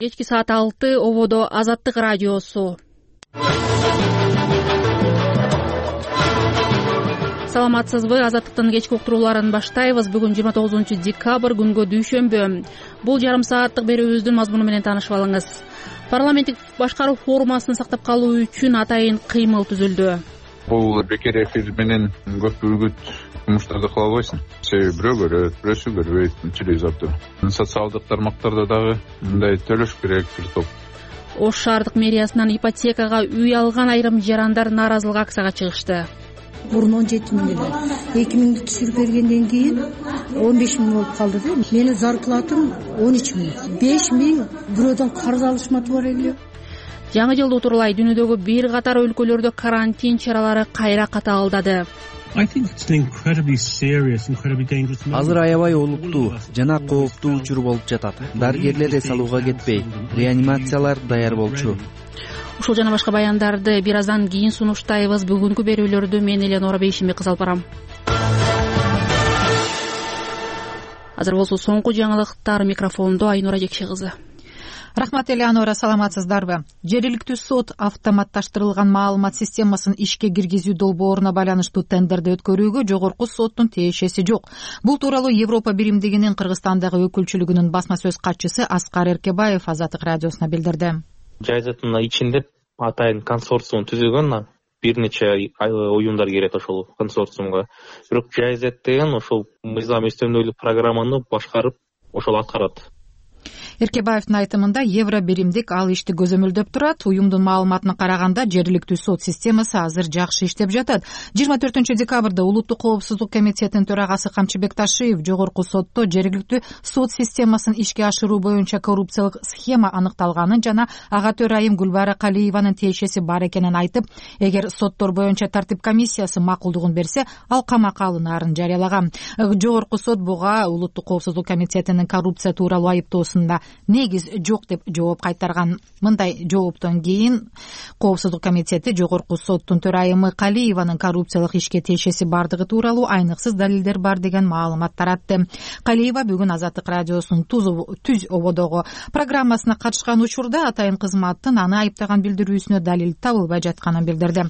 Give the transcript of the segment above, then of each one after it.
Кечки саат 6 ободо Азаттык радиосу. Саламатсызбы? Азаттыктын кечки уктурууларын баштайбыз. Бүгүн 29-декабрь күнгө дүйшөмбү. Бул жарым сааттык берүүбүздүн мазмуну менен таанышып алыңыз. Парламенттик башкаруу формасын сактап калуу үчүн атайын кыймыл түзүлдү. Бул бекер эфир менен көп үгүт жумуштарды кыла албайсың. Себеби бирөө көрөт, бирөөсү көрбөйт, телевизордо. Социалдык тармактарда дагы мындай төлөш керек бир топ. Ош шаардык мэриясынан ипотекага үй алган айрым жарандар нааразылык акцияга чыгышты. Мурун 17 миң эле. 2 миңди түшүрүп бергенден кийин 15 миң болуп калды да. Менин зарплатам 13 миң. 5 миң бирөөдөн карыз алышматы бар эле. Жаңы жылды утурлай дүйнөдөгү бир катар өлкөлөрдө карантин чаралары кайра катаалдады. Азыр аябай олуттуу жана кооптуу учур болуп жатат. Дарыгерлер эс алууга кетпей, реанимациялар даяр болчу. Ушул жана башка баяндарды бир аздан кийин сунуштайбыз. Бүгүнкү берүүлөрдү мен Элена Бейшимбек кызы алып барам. Азыр болсо соңку жаңылыктар. Микрофондо Айнура Жекше кызы. Рахмат Элеонора, саламатсыздарбы? Жергиликтүү сот автоматташтырылган маалымат системасын ишке киргизүү долбооруна байланыштуу тендерди өткөрүүгө жогорку соттун тиешеси жок. Бул тууралуу Европа биримдигинин Кыргызстандагы өкүлчүлүгүнүн басма сөз катчысы Аскар Эркебаев Азаттык радиосуна билдирди. Жайзаттын ичинде атайын консорциум түзүлгөн, бир нече уюмдар кирет ошол консорциумга. Бирок Жайзат деген ошол мыйзам өстөмдүүлүк программаны башкарып ошол аткарат. Эркебаевдин айтымында Евро биримдик ал ишти көзөмөлдөп турат. Уюмдун маалыматына караганда жергиликтүү сот системасы азыр жакшы иштеп жатат. 24 декабрда Улуттук коопсуздук комитетинин төрагасы Камчыбек Ташиев жогорку сотто жергиликтүү сот системасын ишке ашыруу боюнча коррупциялык схема аныкталганын жана ага төрайым Гүлбара Калиеванын тиешеси бар экенин айтып, эгер соттор боюнча тартип комиссиясы макулдугун берсе, ал камакка алынаарын жарыялаган. Жогорку сот буга Улуттук коопсуздук комитетинин коррупция тууралуу айыптоосунда негиз жок деп жооп кайтарган. Мындай жооптон кийин коопсуздук комитети жогорку соттун төрайымы Калиеванын коррупциялык ишке тиешеси бардыгы тууралуу айныксыз далилдер бар деген маалымат таратты. Калиева бүгүн Азаттык радиосунун түз ободогу программасына катышкан учурда атайын кызматтын аны айыптаган билдирүүсүнө далил табылбай жатканын билдирди.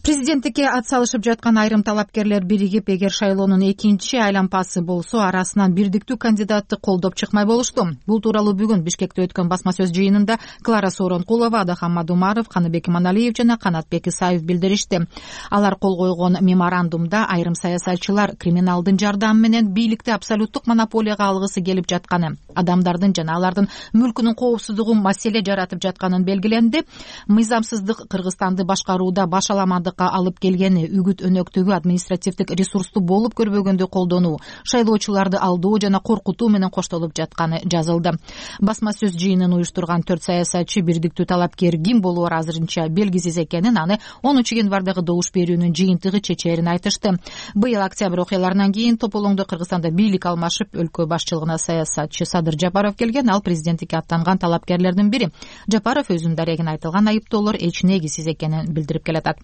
Президенттикке ат салышып жаткан айрым талапкерлер биригип, эгер шайлоонун экинчи айлампасы болсо, арасынан бирдиктүү кандидатты колдоп чыкмай болушту. Бул тууралуу бүгүн Бишкекте өткөн басма сөз жыйынында Клара Сооронкулова, Адахан Мадумаров, Каныбек Иманалиев жана Канатбек Исаев билдиришти. Алар кол койгон меморандумда айрым саясатчылар криминалдын жардамы менен бийликти абсолюттук монополияга алгысы келип жатканы, адамдардын жана алардын мүлкүнүн коопсуздугу маселе жаратып жатканын белгиленди. Мыйзамсыздык Кыргызстанды башкарууда башаламандык алып келгени, үгүт өнөктөгү административдик ресурсту болуп көрбөгөндү колдонуу, шайлоочуларды алдоо жана коркутуу менен коштолуп жатканы жазылды. Басма сөз жыйынын уюштурган 4 саясатчы бирдиктүү талапкер ким болоору азырынча белгисиз экенин, аны 10 январдагы добуш берүүнүн жыйынтыгы чечээрин айтышты. Быйыл октябрь окуяларынан кийин тополоңдо Кыргызстанда бийлик алмашып, өлкө башчылыгына саясатчы Садыр Жапаров келген. Ал президенттикке аттанган талапкерлердин бири. Жапаров өзүнүн дарегине айтылган айыптоолор эч негизсиз экенин билдирип келатат.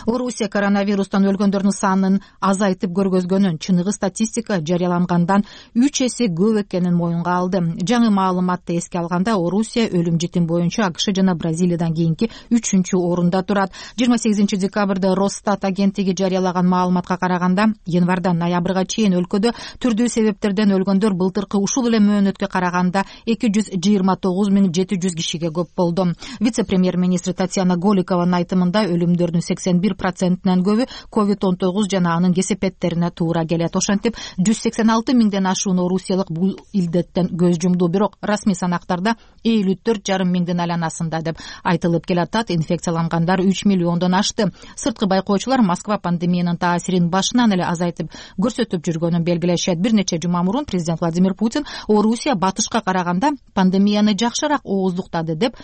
Орусия коронавирустан өлгөндөрдүн санын азайтып көргөзгөнүн чыныгы статистика жарыялангандан 3 эсе көп экенин моюнга алды. Жаңы маалыматты эске алганда Орусия өлүм житим боюнча АКШ жана Бразилиядан кийинки 3-орунда турат. 28 декабрда Росстат агенттиги жарыялаган маалыматка караганда, январдан ноябрга чейин өлкөдө түрдүү себептерден өлгөндөр былтыркы ушул эле мөөнөткө караганда 229.700 кишиге көп болду. Вице-премьер-министр Татьяна Голикованын айтымында өлүмдөрдүн 81%-нен көбү COVID-19 жана анын кесепеттерине туура келет. Ошентип 186 миңден ашуун орусиялык бул илдеттен көз жумду. Бирок расмий санактарда 54,5 миңдин айланасында деп айтылып келатат. Инфекциялангандар 3 миллиондон ашты. Сырткы байкоочулар Москва пандемиянын таасирин башынан эле азайтып көрсөтүп жүргөнүн белгилешет. Бир нече жума мурун президент Владимир Путин Орусия батышка караганда пандемияны жакшыраак ооздуктады деп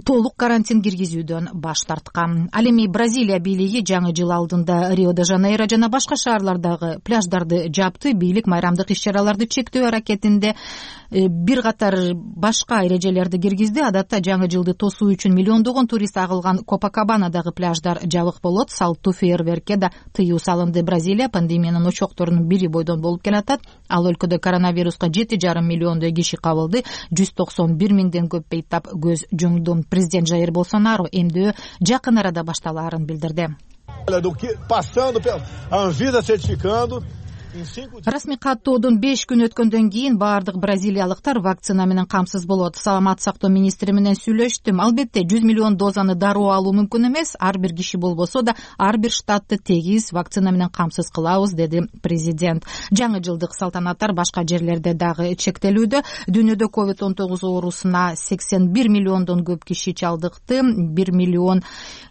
толук карантин киргизүүдөн баш тарткан. Ал эми Бразилия бийлиги жаңы жыл алдында Рио-де-Жанейро жана башка шаарлардагы пляждарды жапты. Бийлик майрамдык иш-чараларды чектөө аракетинде бир катар башка эрежелерди киргизди. Адатта жаңы жылды тосуу үчүн миллиондогон турист агылган Копакабанадагы пляждар жабык болот. Салттуу фейерверкке да тыюу салынды. Бразилия пандемиянын очокторунун бири бойдон болуп келатат. Ал өлкөдө коронавируска 7,5 миллиондой киши кабылды. 191 миңден көп бейтап көз жумду. Президент Жаир Болсонаро эмдөө жакын арада башталаарын билдирди. Расмий каттоодон 5 күн өткөндөн кийин баардык бразилиялыктар вакцина менен камсыз болот. Саламаттык сактоо министри менен сүйлөштүм. Албетте 100 миллион дозаны дароо алуу мүмкүн эмес. Ар бир киши болбосо да ар бир штатты тегиз вакцина менен камсыз кылабыз, деди президент. Жаңы жылдык салтанаттар башка жерлерде дагы чектелүүдө. Дүйнөдө COVID-19 оорусуна 81 миллиондон көп киши чалдыкты. 1 миллион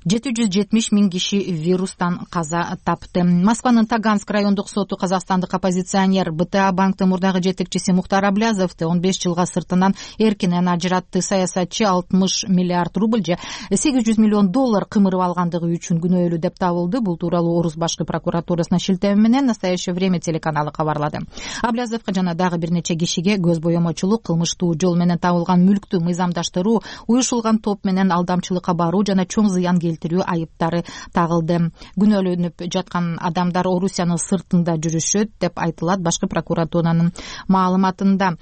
770 миң киши вирустан каза тапты. Москванын Таганск райондук соту казакстандык оппозиционер БТА банктын мурдагы жетекчиси Мухтар Аблязовду 15 жылга сыртынан эркинен ажыратты. Саясатчы 60 миллиард рубль же 800 миллион доллар кымырып алгандыгы үчүн күнөөлүү деп табылды. Бул тууралуу Орус башкы прокуратурасына шилтеме менен Настоящее время телеканалы кабарлады. Аблязовго жана дагы бир нече кишиге көз боемочулук, кылмыштуу жол менен табылган мүлктү мыйзамдаштыруу, уюшулган топ менен алдамчылыкка баруу жана чоң зыян келтирүү айыптары тагылды. Күнөөлөнүп жаткан адамдар Орусиянын сыртында жүрүшөт деп айтылат башкы прокуратуранын маалыматында.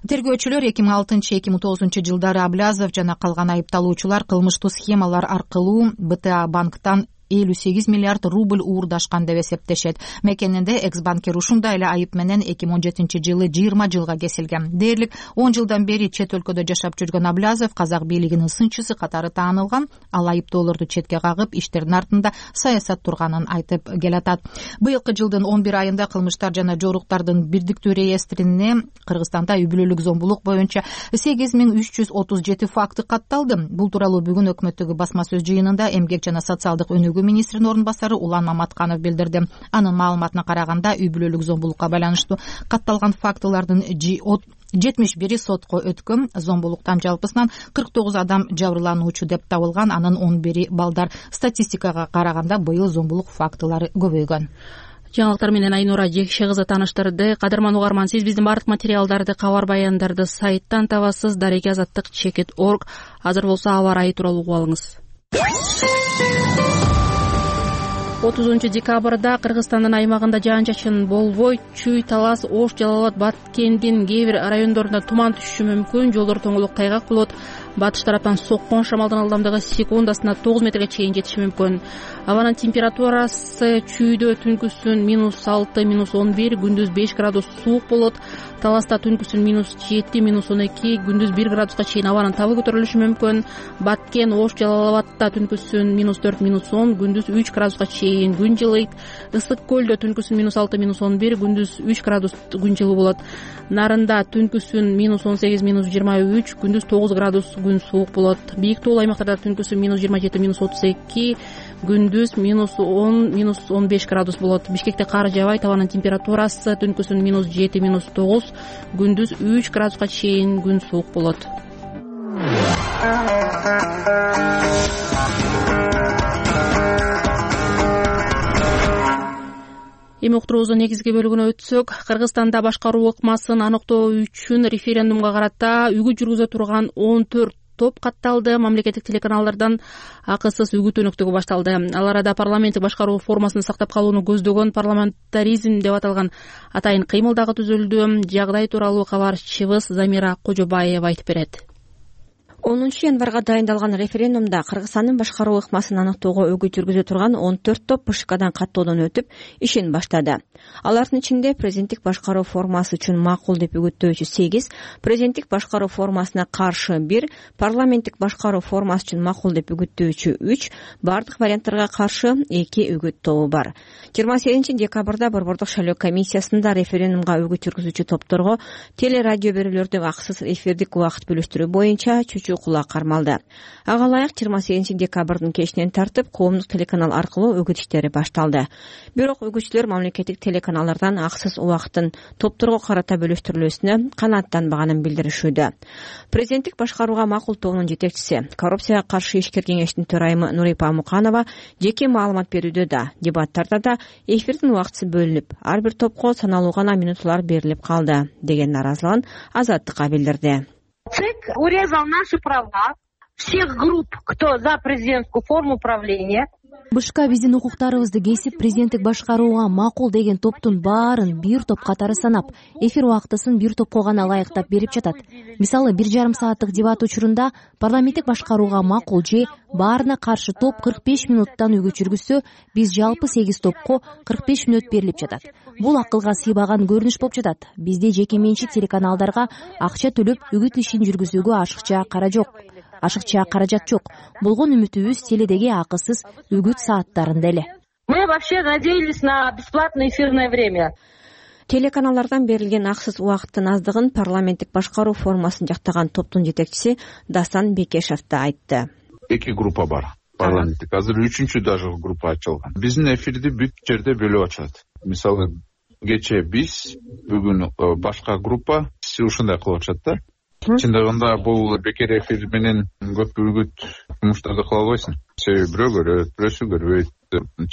Тергөөчүлөр 2006-2009 жылдары Аблязов жана калган айыпталуучулар кылмыштуу схемалар аркылуу БТА банктан 58 миллиард рубль уурдашкан деп эсептешет. Мекенинде экс-банкир ушундай эле айып менен 2017 жылы 20 жылга кесилген. Дээрлик 10 жылдан бери чет өлкөдө жашап жүргөн Аблязов казак бийлигинин сынчысы катары таанылган. Ал айыптоолорду четке кагып, иштердин артында саясат турганын айтып келатат. Быйылкы жылдын 11 айында кылмыштар жана жоруктардын бирдиктүү реестрине Кыргызстанда үй бүлөлүк зомбулук боюнча 8337 факты катталды. Бул тууралуу бүгүн өкмөттөгү басма сөз жыйынында эмгек жана социалдык өнүгүү министринин орун басары Улан Маматканов билдирди. Анын маалыматына караганда үй бүлөлүк зомбулукка байланыштуу катталган фактылардын 71 сотко өткөн. Зомбулуктан жалпысынан 49 адам жабырлануучу деп табылган, анын 11 балдар. Статистикага караганда быйыл зомбулук фактылары көбөйгөн. Жаңылыктар менен Айнура Жекше кызы тааныштырды. Кадырман угарман, сиз биздин бардык материалдарды, кабар баяндарды сайттан табасыз. Дареги азаттык /org. Азыр болсо аба ырайы тууралуу угуп алыңыз. 30 декабрда Кыргызстандын аймагында жаан-чачын болбойт. Чүй, Талас, Ош, Жалал Абад, Баткендин кээ бир райондорунда туман түшүшү мүмкүн. Жолдор тоңолук, тайгак болот. Батыш тараптан соккон шамалдын ылдамдыгы секундасына 9 метрге чейин жетиши мүмкүн. Абанын температурасы чүйдө түнкүсүн -6, -11, күндүз 5 градус суук болот. Таласта түнкүсүн -7, -12, күндүз 1 градуска чейин абанын табы көтөрүлүшү мүмкүн. Баткен, Ош, Жалал Абадта түнкүсүн -4, -10, күндүз 3 градуска чейин күн жылыйт. Ысык көлдө түнкүсүн -6, -11, күндүз 3 градус күн жылуу болот. Нарында түнкүсүн -18, -23, күндүз 9 градус күн суук болот. Бийик тоолуу аймактарда түнкүсүн -27, -32, күндүз -10, -15 градус болот. Бишкекте кар жаабайт. Абанын температурасы түнкүсүн -7, -9, күндүз 3 градуска чейин күн суук болот. Эми уктуруубуздун негизги бөлүгүнө өтсөк, Кыргызстанда башкаруу ыкмасын аныктоо үчүн референдумга карата үгүт жүргүзө турган 14 топ катталды. Мамлекеттик телеканалдардан акысыз үгүт өнөктүгү башталды. Ал арада парламенттик башкаруу формасын сактап калууну көздөгөн парламентаризм деп аталган атайын кыймыл дагы түзүлдү. Жагдай тууралуу кабарчыбыз Замира Кожобаева айтып берет. 10 январга дайындалган референдумда Кыргызстандын башкаруу ыкмасын аныктоого үгүт жүргүзө турган 14 топ БШКдан каттоодон өтүп, ишин баштады. Алардын ичинде президенттик башкаруу формасы үчүн макул деп үгүттөөчү 8, президенттик башкаруу формасына каршы 1, парламенттик башкаруу формасы үчүн макул деп үгүттөөчү 3, бардык варианттарга каршы 2 үгүт тобу бар. 28 декабрда Борбордук шайлоо комиссиясында референдумга үгүт жүргүзүүчү топторго телерадио берүүлөрдү акысыз эфирдик убакыт бөлүштүрүү боюнча чөчүү жүргүзүүчү кулак кармалды. Ага ылайык 28 декабрдын кечинен тартып коомдук телеканал аркылуу өгүт иштери башталды. Бирок өгүтчүлөр мамлекеттик телеканалдардан аксыз убакыттын топторго карата бөлүштүрүлүүсүнө канааттанбаганын билдиришүүдө. Президенттик башкарууга макул тобунун жетекчиси, коррупцияга каршы ишкер кеңештин төрайымы Нурипа Муканова жеке маалымат берүүдө да, дебаттарда да эфирдин убактысы бөлүнүп, ар бир топко саналуу гана минутлар берилип калды деген наразылыгын Азаттыкка билдирди. ЦИК урезал наши права всех групп, кто за президентскую форму правления. БШК биздин укуктарыбызды кесип, президенттик башкарууга макул деген топтун баарын бир топ катары санап, эфир убактысын бир топко гана ылайыктап берип жатат. Мисалы, 1,5 сааттык дебат учурунда парламенттик башкарууга макул же баарына каршы топ 45 минуттан өгүт жүргүзсө, биз жалпы 8 топко 45 минут берилип жатат. Бул акылга сыйбаган көрүнүш болуп жатат. Бизде жеке менчик телеканалдарга акча төлөп өгүт ишин жүргүзүүгө ашыкча каражат жок. Болгон үмүтүбүз теледеги акысыз өгүт сааттарында эле. Мы вообще надеялись на бесплатное эфирное время. Телеканалдардан берилген аксыз убакыттын аздыгын парламенттик башкаруу формасын жактаган топтун жетекчиси Дастан Бекешев да айтты. Эки группа бар. Парламенттик. Азыр 3-чү даже группа ачылган. Биздин эфирди бүт жерде бөлүп ачат. Мисалы, кечээ биз, бүгүн башка группа ушундай кылып атышат да. Чындыгында бул бекер эфир менен көп өгүт жумуштарды кыла албайсың. Себеби бирөө көрөт, бирөөсү көрбөйт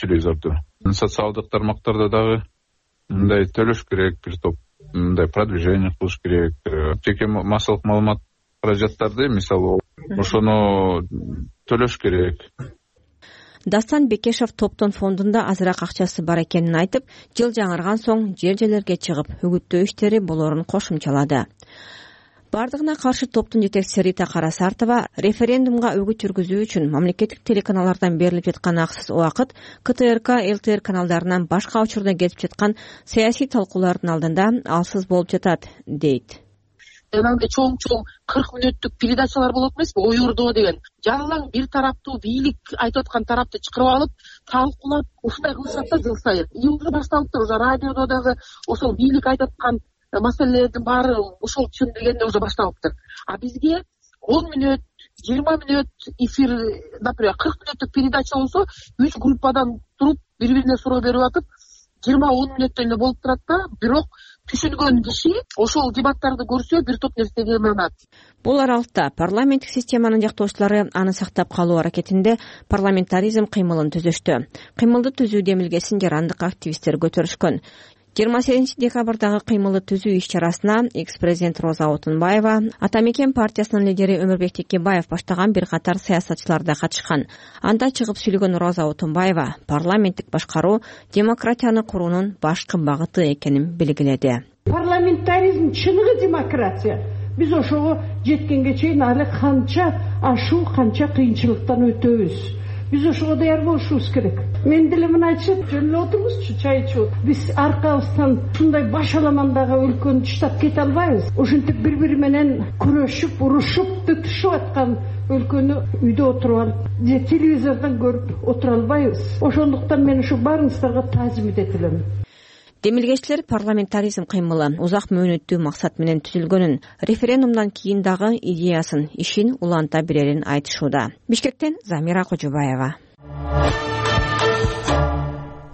телевизорду. Социалдык тармактарда дагы мындай төлөш керек, бир топ мындай продвижение кылыш керек. Жеке массалык маалымат каражаттарды, мисалы, ошону төлөш керек. Дастан Бекешев топтун фондунда азыраак акчасы бар экенин айтып, жыл жаңырган соң жер-жерлерге чыгып өгүттөө иштери болорун кошумчалады. Бардыгына каршы топтун жетекчиси Рита Карасартова референдумга өгүт жүргүзүү үчүн мамлекеттик телеканалдардан берилип жаткан аксыз убакыт КТРК, ЛТР каналдарынан башка учурда кетип жаткан саясий талкуулардын алдында алсыз болуп жатат, дейт. Жанагындай чоң 40 мүнөттүк передачалар болот эмеспи, ой ордоо деген. Жалаң бир тараптуу бийлик айтып аткан тарапты чакырып алып, талкуулап, ушундай кылышат да жыл сайын. Уже башталыптыр, уже радиодо дагы ошол бийлик айтып аткан маселелердин баары ошол түшүндүргөндө уже башталыптыр. А бизге 10 мүнөт, 20 мүнөт эфир, например, 40 мүнөттүк передача болсо, 3 группадан туруп, бири-бирине суроо берип атып, 20-10 мүнөттөн эле болуп турат да, бирок түшүнгөн киши ошол дебаттарды көрсө бир топ нерсеге ынанат. Бул аралыкта парламенттик системанын жактоочулары аны сактап калуу аракетинде парламентаризм кыймылын түзүштү. Кыймылды түзүү демилгесин жарандык активисттер көтөрүшкөн. 28 декабрдагы кыймылды түзүү иш-чарасына экс-президент Роза Отунбаева, Атамекен партиясынын лидери Өмүрбек Текебаев баштаган бир катар саясатчылар да катышкан. Анда чыгып сүйлөгөн Роза Отунбаева парламенттик башкаруу демократияны куруунун башкы багыты экенин белгиледи. Парламентаризм чыныгы демократия. Биз ошого жеткенге чейин али канча ашуу, канча кыйынчылыктан өтөбүз. Биз ошого даяр болушубуз керек. Мен деле мына айтышат, жөн эле отурбузчу, чай ичип. Биз аркабыздан ушундай баш аламандагы өлкөнү таштап кете албайбыз. Ошентип бири-бири менен күрөшүп, урушуп, тытышып аткан өлкөнү үйдө отуруп алып, же телевизордон көрүп отура албайбыз. Ошондуктан мен ушу баарыңыздарга таазим этелем. Демилгечилер парламентаризм кыймылы узак мөөнөттүү максат менен түзүлгөнүн, референдумдан кийин дагы идеясын, ишин уланта берерин айтышууда. Бишкектен Замира Кожобаева.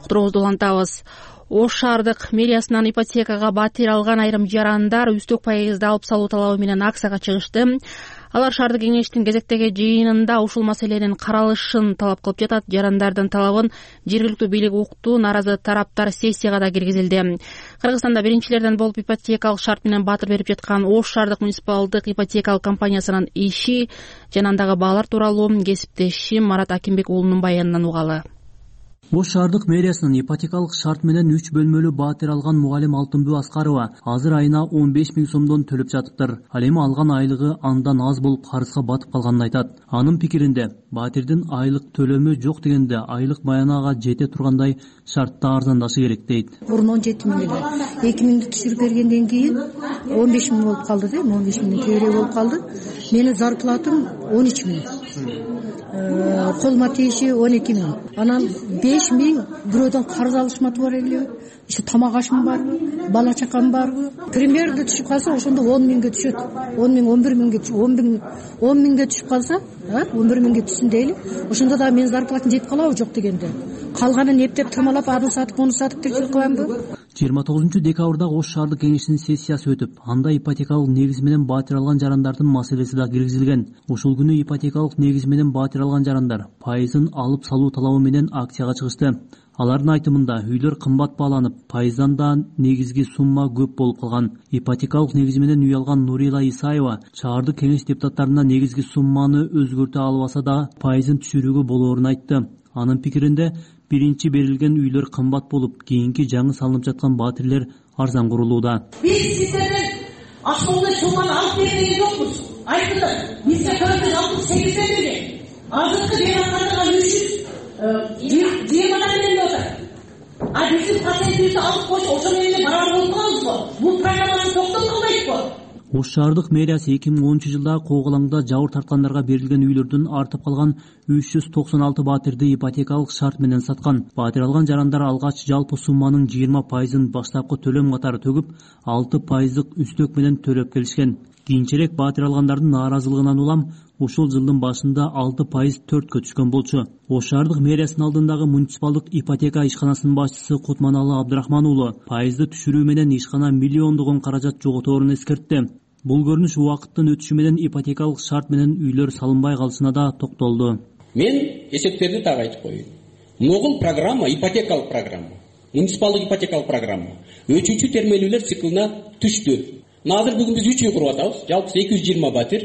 Уктуруубузду улантабыз. Ош шаардык мэриясынан ипотекага батир алган айрым жарандар үстөк пайызды алып салуу талабы менен акцияга чыгышты. Алар шаардык кеңештин кезектеги жыйынында ушул маселенин каралышын талап кылып жатат. Жарандардын талабын жергиликтүү бийлик укту, наразы тараптар сессияга да киргизилди. Кыргызстанда биринчилерден болуп ипотекалык шарт менен батир берип жаткан Ош шаардык муниципалдык ипотекалык компаниясынын иши жана андагы баалар тууралуу кесиптешим Марат Акимбек уулунун баянынан угалы. Ош шаардык мэриясынын ипотекалык шарт менен 3 бөлмөлүү батир алган мугалим Алтынбүү Аскарова азыр айына 15 000 сомдон төлөп жатыптыр. Ал эми алган айлыгы андан аз болуп карызга батып калганын айтат. Анын пикиринде, батирдин айлык төлөмү жок дегенде айлык маянага жете тургандай шартта арзандашы керек дейт. Бурун 17 000 эле 2 000 түшүрүп бергенден кийин 15 000 болуп калды да, 15 000 көбүрөөк болуп калды. Менин зарплатам 13 000. колума тиеши 12 миң, анан 5 миң бирөөдөн карыз алышматы бар эле, еще тамак ашым барбы, бала чакам барбы, примерно түшүп калса ошондо 10 миңге түшөт, 10 миң 11 миңге 10 миңге түшүп калса, 11 миңге түшсүн дейли, ошондо да менин зарплатам жетип калабы жок дегенде, калганын эптеп тырмалап аны сатып муну сатып тиричилик кыламбы. 29 декабрда Ош шаардык кеңешинин сессиясы өтүп, анда ипотекалык негиз менен баатыр алган жарандардын маселеси да киргизилген. Ушул күнү ипотекалык негиз менен баатыр алган жарандар пайызын алып салуу талабы менен акцияга чыгышты. Алардын айтымында үйлөр кымбат бааланып, пайыздан да негизги сумма көп болуп калган. Ипотекалык негиз менен үй алган Нурила Исаева шаардык кеңеш депутаттарына негизги сумманы өзгөртө албаса да пайызын түшүрүүгө болоорун айтты. Анын пикиринде биринчи берилген үйлөр кымбат болуп, кийинки жаңы салынып жаткан баатирлер арзан курулууда. Биз сиздерден основной сумманы алып берген жокпуз. Айтылды, бизге 468 берген. Азыркы берип аткандыгы 320 менен отыр. А биздин процентибизди алып койсо ошо менен барар болуп калабызбы? Бул программаны токтот кылбайбызбы? Ош шаардык мэриясы 2010 жылда Коогалаңда жабыр тарткандарга берилген үйлөрдүн артып калган 396 баатирди ипотекалык шарт менен саткан. Баатир алган жарандар алгач жалпы сумманын 20%-ын баштапкы төлөм катары төгүп, 6% үстөк менен төлөп келишкен. Кийинчерээк баатир алгандардын нааразылыгынан улам ушул жылдын башында 6% 4кө түшкөн болчу. Ош шаардык мэриясынын алдындагы муниципалдык ипотека ишканасынын башчысы Кутманалы Абдрахман уулу пайызды түшүрүү менен ишкана миллиондогон каражат жоготорун эскертти. Бул көрүнүш убакыттын өтүшү менен ипотекалык шарт менен үйлөр салынбай калышына да токтолду. Мен эсептерди так айтып коеюн. Могул программа, ипотекалык программа, муниципалдык ипотекалык программа 3-чү термелүүлөр циклына түштү. Азыр бүгүн биз 3 үй куруп атабыз. Жалпысы 220 батир,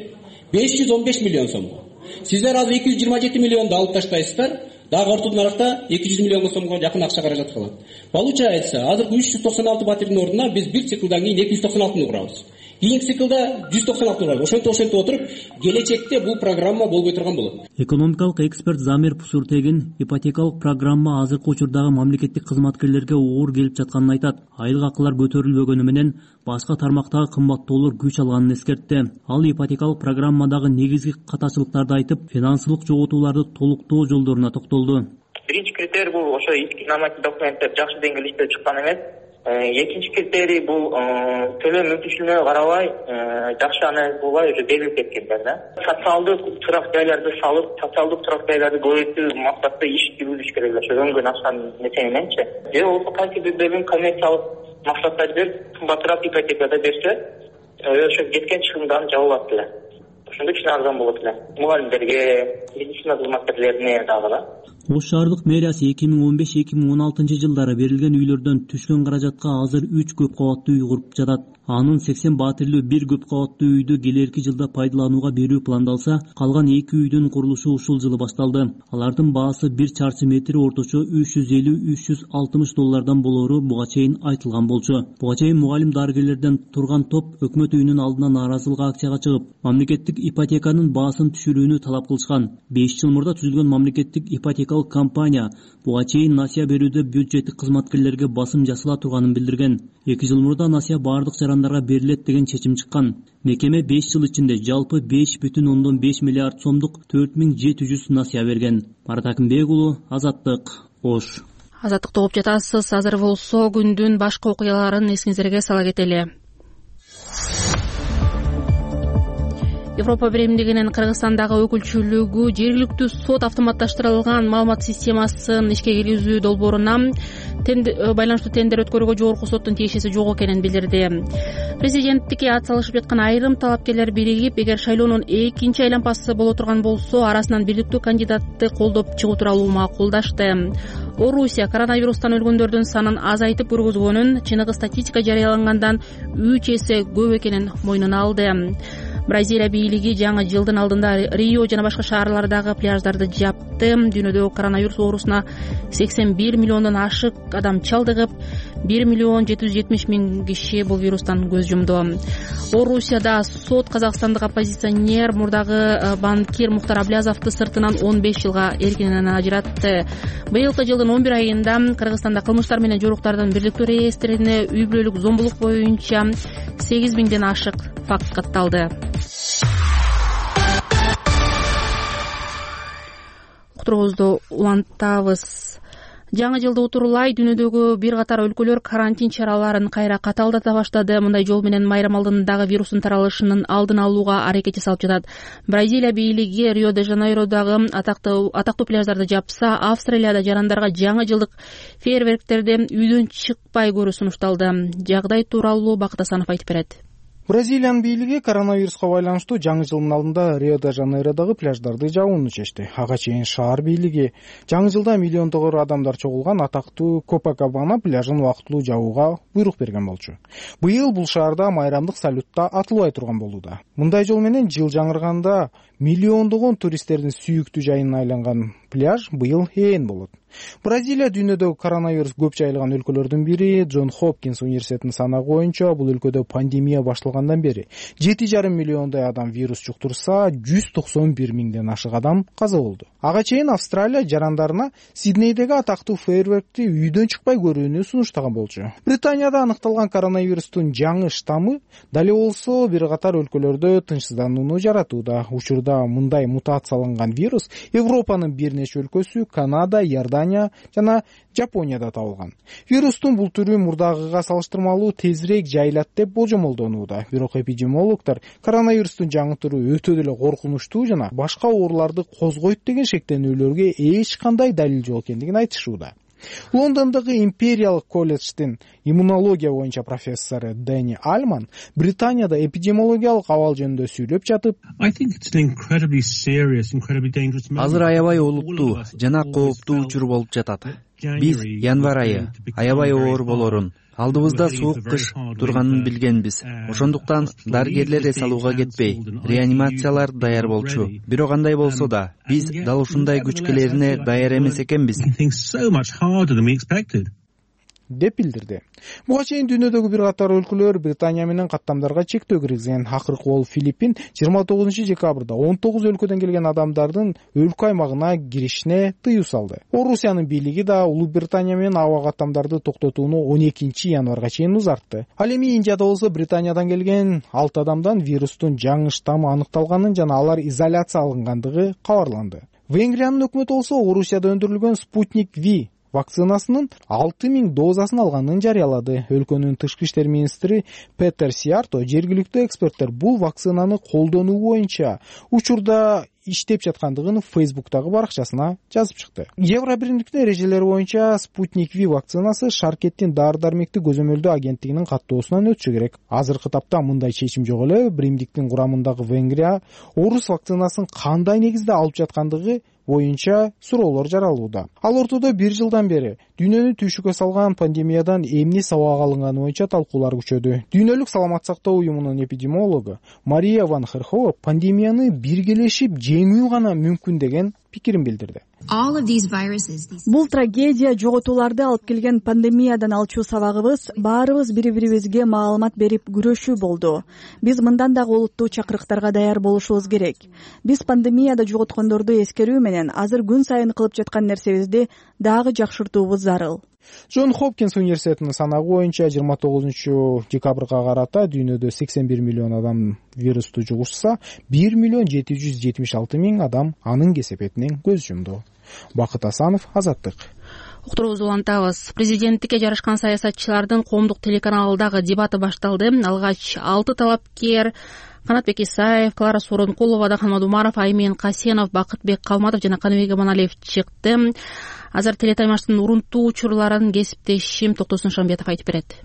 515 миллион сомго. Сиздер азыр 227 миллионду алып таштайсыздар. Дагы ортодон наракта 200 миллион сомго жакын акча каражат калат. Получается, азыр 396 батирдин ордуна биз бир циклдан кийин 296 курабыз. Кийинки циклда 196 курабыз. Ошентип отуруп, келечекте бул программа болбой турган болот. Экономикалык эксперт Замир Пусуртегин ипотекалык программа азыркы учурдагы мамлекеттик кызматкерлерге оор келип жатканын айтат. Айлык акылар көтөрүлбөгөнү менен башка тармактагы кымбаттоолор күч алганын эскертти. Ал ипотекалык программадагы негизги катачылыктарды айтып, финансылык жоготууларды толуктоо жолдоруна токтолду. Биринчи критерий бул ошо нормативдик документтер жакшы деңгээлде иштеп чыккан эмес. Экинчи критерий бул төлөм мүмкүнчүлүгүнө карабай жакшы анализ болбой уже берилип кеткендер да. Социалдык турак жайларды салып, социалдык турак жайларды көбөйтүү максатта иш жүргүзүш керек ошо өнгөн акча нече мененчи. Же болбосо кайсы бирдерин коммерциялык максатта берип, кымбатыраак ипотекада берсе, ошо кеткен чыгымдарын жабып алат эле. Ошондо кичине арзан болот эле. Мугалимдерге, медицина кызматкерлерине дагы да. Ош шаардык мэриясы 2015-2016 жылдары берилген үйлөрдөн түшкөн каражатка азыр 3 көп кабаттуу үй куруп жатат. Анын 80 баатирлүү 1 көп кабаттуу үйдү келерки жылда пайдаланууга берүү пландалса, калган 2 үйдүн курулушу ушул жылы башталды. Алардын баасы 1 чарчы метри орточо $350-360 болоору буга чейин айтылган болчу. Буга чейин мугалим дарыгерлерден турган топ өкмөт үйүнүн алдына нааразылык акцияга чыгып, мамлекеттик ипотеканын баасын түшүрүүнү талап кылышкан. 5 жыл мурда түзүлгөн мамлекеттик ипотекалык компания буга чейин насыя берүүдө бюджеттик кызматкерлерге басым жасала турганын билдирген. 2 жыл мурда насыя баардык жарандарга берилет деген чечим чыккан. Мекеме 5 жыл ичинде жалпы 5,5 миллиард сомдук 4700 насыя берген. Марат Акимбек уулу, Азаттык, Ош. Азаттыкты угуп жатасыз. Азыр болсо күндүн башка окуяларын эсиңиздерге сала кетели. Европа биримдигинин Кыргызстандагы өкүлчүлүгү жергиликтүү сот автоматташтырылган маалымат системасын ишке киргизүү долбооруна байланыштуу тендер өткөрүүгө жогорку соттун тиешеси жок экенин билдирди. Президенттикке ат салышып жаткан айрым талапкерлер биригип, эгер шайлоонун экинчи айлампасы боло турган болсо, арасынан бийликтүү кандидатты колдоп чыгуу тууралуу макулдашты. Орусия коронавирустан өлгөндөрдүн санын азайтып көргөзгөнүн, чыныгы статистика жарыялагандан 3 эсе көп экенин мойнуна алды. Бразилия бийлиги жаңы жылдын алдында Рио жана башка шаарлардагы пляждарды жапты. Дүйнөдө коронавирус оорусуна 81 миллиондон ашык адам чалдыгып, 1,770,000 киши бул вирустан көз жумду. Орусияда сот казакстандык оппозиционер мурдагы банкир Мухтар Аблязовду сыртынан 15 жылга эркинен ажыратты. Быйылкы жылдын 11 айында Кыргызстанда кылмыштар менен жоруктардын бирликтүү реестрине үй бүлөлүк зомбулук боюнча 8000ден ашык факт катталды. уктуруубузду улантабыз. Жаңы жылды утурлай дүйнөдөгү бир катар өлкөлөр карантин чараларын кайра катаалдата баштады. Мындай жол менен майрам алдындагы вирустун таралышынын алдын алууга аракет жасалып жатат. Бразилия бийлиги Рио-де-Жанейродагы атактуу пляждарды жапса, Австралияда жарандарга жаңы жылдык фейерверктерди үйдөн чыкпай көрүү сунушталды. Жагдай тууралуу Бакыт Асанов айтып берет. Бразилиянын бийлиги коронавируска байланыштуу жаңы жылдын алдында Рио-де-Жанейродагы пляждарды жабууну чечти. Ага чейин шаар бийлиги жаңы жылда миллиондогор адамдар чогулган атактуу Копакабана пляжын убактылуу жабууга буйрук берген болчу. Быйыл бул шаарда майрамдык салютта атылбай турган болууда. Мындай жол менен жыл жаңырганда миллиондогон туристтердин сүйүктүү жайына айланган пляж быйыл ээн болот. Бразилия дүйнөдөгү коронавирус көп жайылган өлкөлөрдүн бири. Джон Хопкинс университетинин санагы боюнча бул өлкөдө пандемия башталгандан бери 7,5 миллиондой адам вирус жуктурса, 191 миңден ашык адам каза болду. Ага чейин Австралия жарандарына Сиднейдеги атактуу фейерверкти үйдөн чыкпай көрүүнү сунуштаган болчу. Британияда аныкталган коронавирустун жаңы штаммы дали болсо бир катар өлкөлөрдө тынчсызданууну жаратууда. Учурда мындай мутацияланган вирус Европанын бир нече өлкөсү, Канада, Иордания жана Жапонияда табылган. Вирустун бул түрү мурдагыга салыштырмалуу тезирээк жайылат деп болжомолдонууда. Бирок эпидемиологдор коронавирустун жаңы түрү өтө деле коркунучтуу жана башка ооруларды козгойт деген шектенүүлөргө эч кандай далил жок экендигин айтышууда. Лондондогу Империялык колледждин иммунология боюнча профессору Дэнни Альман Британияда эпидемиологиялык абал жөнүндө сүйлөп жатып, азыр аябай олуттуу жана кооптуу учур болуп жатат. Биз январь айы аябай оор болорун, алдыбызда суук кыш турганын билгенбиз. Ошондуктан дарыгерлер эс алууга кетпей, реанимациялар даяр болчу. Бирок андай болсо да, биз дал ушундай күчкелерине даяр эмес экенбиз деп билдирди. Буга чейин дүйнөдөгү бир катар өлкөлөр Британия менен каттамдарга чектөө киргизген. Акыркы болуп Филиппин 29 декабрда 19 өлкөдөн келген адамдардын өлкө аймагына киришине тыюу салды. Орусиянын бийлиги да Улуу Британия менен аба каттамдарды токтотууну 12 январга чейин узартты. Ал эми Индияда болсо Британиядан келген 6 адамдан вирустун жаңы штаммы аныкталганын жана алар изоляция алынгандыгы кабарланды. Венгриянын өкмөтү болсо Орусияда өндүрүлгөн Спутник V вакцинасынын 6000 дозасын алганын жарыялады. Өлкөнүн тышкы иштер министри Петер Сиарто жергиликтүү эксперттер бул вакцинаны колдонуу боюнча учурда иштеп жаткандыгын Facebook'тагы баракчасына жазып чыкты. Евро биримдиктин эрежелери боюнча Спутник V вакцинасы Шаркеттин дары-дармекти көзөмөлдөө агенттигинин каттоосунан өтүшү керек. Азыркы тапта мындай чечим жок эле. Биримдиктин курамындагы Венгрия орус вакцинасын кандай негизде алып жаткандыгы боюнча суроолор жаралууда. Ал ортодо бир жылдан бери дүйнөнү түйшүккө салган пандемиядан эмне сабак алынганы боюнча талкуулар күчөдү. Дүйнөлүк саламат сактоо уюмунун эпидемиологу Мария Ван Херхова пандемияны биргелешип жеңүү гана мүмкүн деген пикирин билдирди. Бул трагедия жоготууларды алып келген пандемиядан алчу сабагыбыз баарыбыз бири-бирибизге маалымат берип күрөшүү болду. Биз мындан дагы олуттуу чакырыктарга даяр болушубуз керек. Биз пандемияда жоготкондорду эскерүү менен азыр күн сайын кылып жаткан нерсебизди дагы жакшыртуубуз зарыл. Джон Хопкинс университетинин санагы боюнча 29 декабрга карата дүйнөдө 81 миллион адам вирусту жугушса, 1 миллион 776 миң адам анын кесепетинен көз жумду. Бакыт Асанов, Азаттык. Уктуруубузду улантабыз. Президенттикке жарышкан саясатчылардын коомдук телеканалдагы дебаты башталды. Алгач 6 талапкер Канатбек Исаев, Клара Сооронкулова, Адахан Мадумаров, Аймин Касенов, Бакытбек Калматов жана Каныбек Аманалиев чыкты. Азыр телетаймаштын урунтуу учурларын кесиптешим Токтосун Шамбетов айтып берет.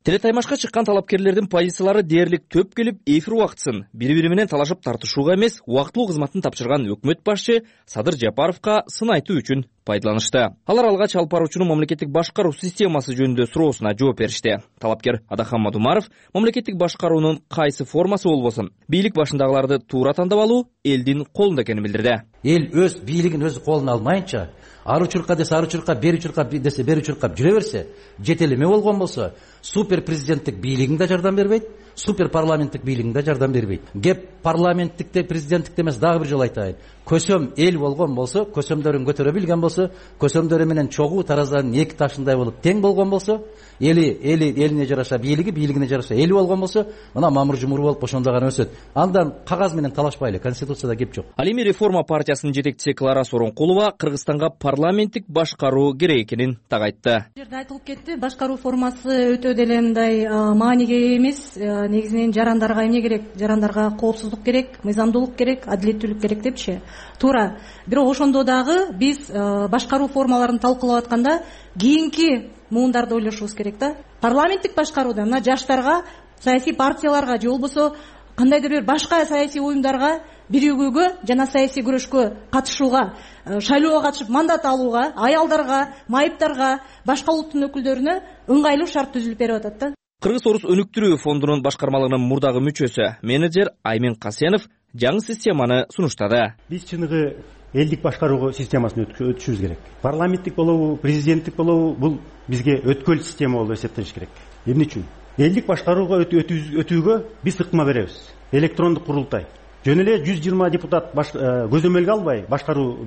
Телетаймашка чыккан талапкерлердин позициялары дээрлик төп келип, эфир убактысын бири-бири менен талашып тартышууга эмес, убактылуу кызматын тапшырган өкмөт башчы Садыр Жапаровго сын айтуу үчүн пайдаланышты. Алар алгач алып баруучунун мамлекеттик башкаруу системасы жөнүндө суроосуна жооп беришти. Талапкер Адахан Мадумаров мамлекеттик башкаруунун кайсы формасы болбосун, бийлик башындагыларды туура тандап алуу элдин колунда экенин билдирди. Эл өз бийлигин өзү колуна алмайынча, ары чурка десе ары чурка, бери чурка десе бери чуркап жүрө берсе, жетелеме болгон болсо, супер президенттик бийлигиң да жардам бербейт, супер парламенттик бийлигиң да жардам бербейт. Кеп парламенттикте, президенттикте эмес, дагы бир жолу айтайын. Көсөм эл болгон болсо, көсөмдөрүн көтөрө билген болсо, көсөмдөрү менен чогуу тараздардын эки ташындай болуп тең болгон болсо, элине жараша бийлиги, бийлигине жараша эли болгон болсо, мына мамыр жумур болуп ошондо гана өсөт. Андан кагаз менен талашпайлы, конституцияда кеп жок. Ал эми реформа партиясынын жетекчиси Клара Сооронкулова Кыргызстанга парламенттик башкаруу керек экенин так айтты. Бул жерде айтылып кетти, башкаруу формасы өтө деле мындай мааниге эмес, негизинен жарандарга эмне керек? Жарандарга коопсуздук керек, мыйзамдуулук керек, адилеттүүлүк керек депчи. Туура. Бирок ошондо дагы биз башкаруу формаларын талкуулап атканда кийинки муундарды ойлошубуз керек да. Парламенттик башкарууда мына жаштарга, саясий партияларга же болбосо кандайдыр бир башка саясий уюмдарга биригүүгө жана саясий күрөшкө катышууга, шайлоого катышып мандат алууга, аялдарга, майыптарга, башка улуттун өкүлдөрүнө ыңгайлуу шарт түзүлүп берип атат да. Кыргыз-Орус өнүктүрүү фондунун башкармалыгынын мурдагы мүчөсү, менеджер Аймен Касенов жаңы системаны сунуштады. Биз чыныгы элдик башкаруу системасын өтүшүбүз керек. Парламенттик болобу, президенттик болобу, бул бизге өткөл система болуп эсептелиш керек. Эмне үчүн? Элдик башкарууга өтүүгө биз ыкма беребиз. Электрондук курултай. Жөн эле 120 депутат көзөмөлгө албай башкаруу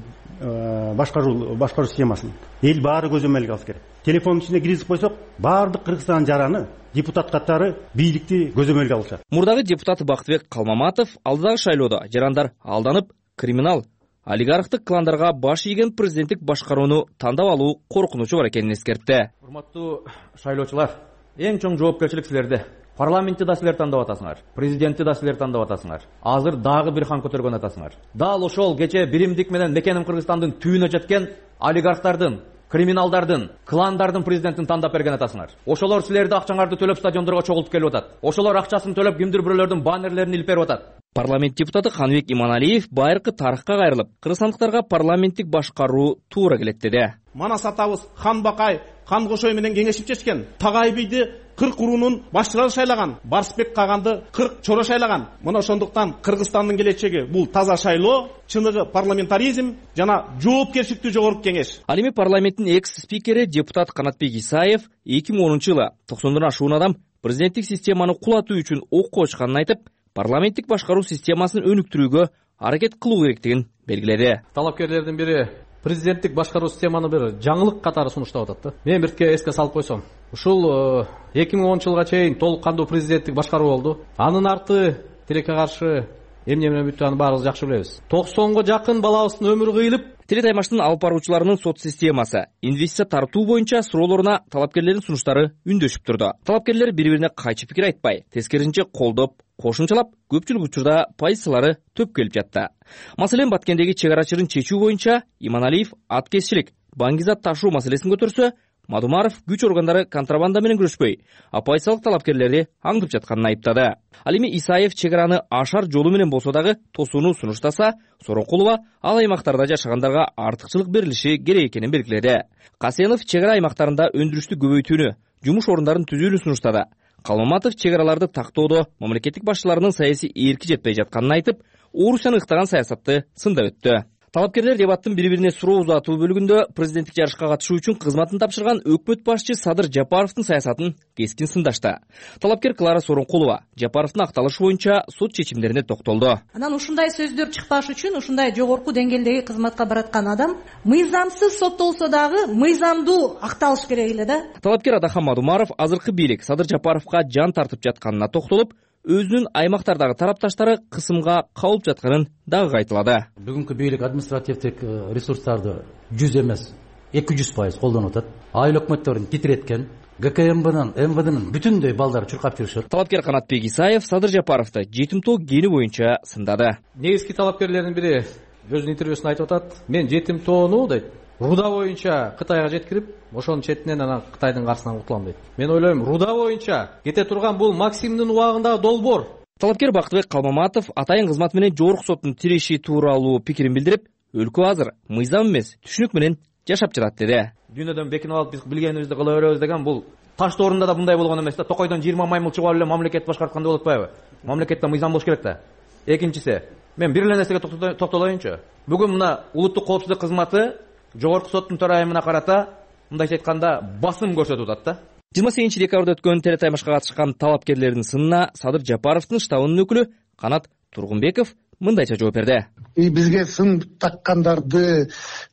системасын. Эл баары көзөмөлгө алыш керек. Телефондун ичине киргизип койсок, баардык Кыргызстан жараны депутат катары бийликти көзөмөлгө алышат. Мурдагы депутат Бактыбек Калмаматов алдыдагы шайлоодо жарандар алданып, криминал, олигархтык кландарга баш ийген президенттик башкарууну тандап алуу коркунучу бар экенин эскертти. Урматтуу шайлоочулар, эң чоң жоопкерчилик силерде. Парламентти да силер тандап атасыңар, президентти да силер тандап атасыңар. Азыр дагы бир хан көтөргөн атасыңар. Дал ошол кече биримдик менен мекеним Кыргызстандын түйүнө жеткен олигархтардын, криминалдардын, кландардын президентин тандап берген атасыңар. Ошолор силерди акчаңарды төлөп стадиондорго чогултуп келип атат. Ошолор акчасын төлөп кимдир бирөөлөрдүн баннерлерин илип берип атат. Парламент депутаты Ханбек Иманалиев байыркы тарыхка кайрылып, кыргызстандыктарга парламенттик башкаруу туура келет деди. Манас атабыз Хан Бакай, Хан Кошой менен кеңешип чечкен. Tagay бийди 40 уруунун башчылары шайлаган, Барсбек Каганды 40 чоро шайлаган. Мына ошондуктан Кыргызстандын келечеги бул таза шайлоо, чыныгы парламентаризм жана жоопкерчиликтүү жогорку кеңеш. Ал эми парламенттин экс-спикери депутат Канатбек Исаев 2010-жылы 90 ашуун адам президенттик системаны кулатуу үчүн окко очканын айтып, парламенттик башкаруу системасын өнүктүрүүгө аракет кылуу керектигин белгиледи. Талапкерлердин бири президенттик башкаруу системаны бир жаңылык катары сунуштап атат да. Мен бирке эске салып койсом, ушул 2010-жылга чейин толук кандуу президенттик башкаруу болду. Анын арты тилекке каршы эмне менен бүттү, аны баарыбыз жакшы билебиз. 90го жакын балабыздын өмүрү кыйылып, Теле таймаштын алып баруучуларынын сот системасы, инвестиция тартуу боюнча суроолоруна талапкерлердин сунуштары үндөшүп турду. Талапкерлер бири-бирине кайчы пикир айтпай, тескерисинче колдоп, кошумчалап, көпчүлүк учурда позициялары төп келип жатты. Маселен, Баткендеги чек ара чырын чечүү боюнча Иманалиев аткезчилик, баңгизат ташуу маселесин көтөрсө, Мадумаров күч органдары контрабанда менен күрөшпөй, оппозициялык талапкерлерди аңдып жатканын айыптады. Ал эми Исаев чек араны ашар жолу менен болсо дагы тосууну сунуштаса, Сооронкулова ал аймактарда жашагандарга артыкчылык берилиши керек экенин белгиледи. Касенов чек ара аймактарында өндүрүштү көбөйтүүнү, жумуш орундарын түзүүнү сунуштады. Калмаматов чек араларды тактоодо мамлекеттик башчыларынын саясий эрки жетпей жатканын айтып, Орусияны ыктаган саясатты сындап өттү. Талапкерлер дебаттын бири-бирине суроо узатуу бөлүгүндө президенттик жарышка катышуу үчүн кызматын тапшырган өкмөт башчы Садыр Жапаровдун саясатын кескин сындашты. Талапкер Клара Сооронкулова Жапаровдун акталышы боюнча сот чечимдерине токтолду. Анан ушундай сөздөр чыкпаш үчүн ушундай жогорку деңгээлдеги кызматка бараткан адам мыйзамсыз соттолсо дагы мыйзамдуу акталыш керек эле да. Талапкер Адахан Мадумаров азыркы бийлик Садыр Жапаровго жан тартып жатканына токтолуп, өзүнүн аймактардагы тарапташтары кысымга кабылып жатканын дагы кайталады. Бүгүнкү бийлик административдик ресурстарды 100 эмес 200% колдонуп атат. Айыл өкмөттөрүн титиреткен, ГКМБнын, МВДнын бүтүндөй балдары чуркап жүрүшөт. Талапкер Канатбек Исаев Садыр Жапаровду жетим тоо кени боюнча сындады. Негизги талапкерлердин бири өзүнүн интервьюсунда айтып атат. Мен жетим тоону дейт, руда боюнча Кытайга жеткирип, ошонун четинен анан Кытайдын каршысынан кутулам дейт. Мен ойлойм, руда боюнча кете турган бул Максимдин убагындагы долбоор. Талапкер Бактыбек Калмаматов атайын кызмат менен жогорку соттун тиреши тууралуу пикирин билдирип, өлкө азыр мыйзам эмес, түшүнүк менен жашап жатат деди. Дүйнөдөн бекинип алып биз билгенибизди кыла беребиз деген бул таш тоорунда да мындай болгон эмес да. Токойдон 20 маймыл чыгып эле мамлекет башкарткандай болуп атпайбы? Мамлекетте мыйзам болуш керек да. Экинчиси, мен бир эле нерсеге токтолоюнчу. Бүгүн мына улуттук коопсуздук кызматы жогорку соттун төрайымына карата мындайча айтканда басым көрсөтүп атат да. 28 декабрда өткөн телетаймашка катышкан талапкерлердин сынына Садыр Жапаровдун штабынын өкүлү Канат Тургунбеков мындайча жооп берди. Бизге сын таккандарды,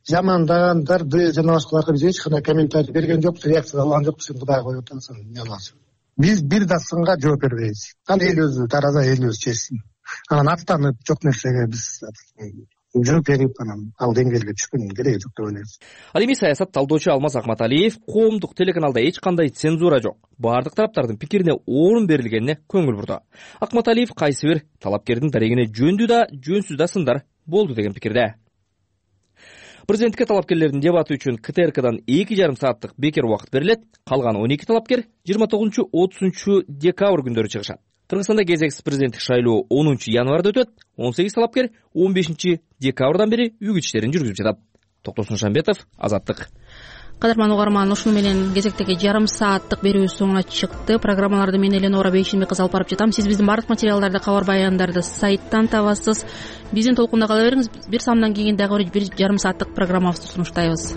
жамандагандарды жана башкаларга биз эч кандай комментарий берген жокпуз, реакция алган жокпуз. Сен Кудай коюп атасың, эмне кыласың? Биз бир да сынга жооп бербейбиз. Аны эл өзү тараза, эл өзү чечсин. Анан аттанып жок нерсеге биз жооп берип анан ал деңгээлге түшкөндүн кереги жок деп ойлойбуз. Ал эми саясат талдоочу Алмаз Акматалиев коомдук телеканалда эч кандай цензура жок, бардык тараптардын пикирине орун берилгенине көңүл бурду. Акматалиев кайсы бир талапкердин дарегине жөндүү да жөнсүз да сындар болду деген пикирде. Президенттикке талапкерлердин дебаты үчүн КТРКдан 2,5 сааттык бекер убакыт берилет. Калган 12 талапкер 29-30 декабрь күндөрү чыгышат. Кыргызстанда кезексиз президенттик шайлоо 10 январда өтөт. 18 талапкер 15 декабрдан бери үгүт иштерин жүргүзүп жатат. Токтосун Шамбетов, Азаттык. Кадырман угарман, ушуну менен кезектеги жарым сааттык берүү соңуна чыкты. Программаларды мен Эленора Бейшимбеков алып барып жатам. Сиз биздин бардык материалдарды, кабар баяндарды сайттан табасыз. Биздин толкунда кала бериңиз. Бир самдан кийин дагы бир жарым сааттык программабызды сунуштайбыз.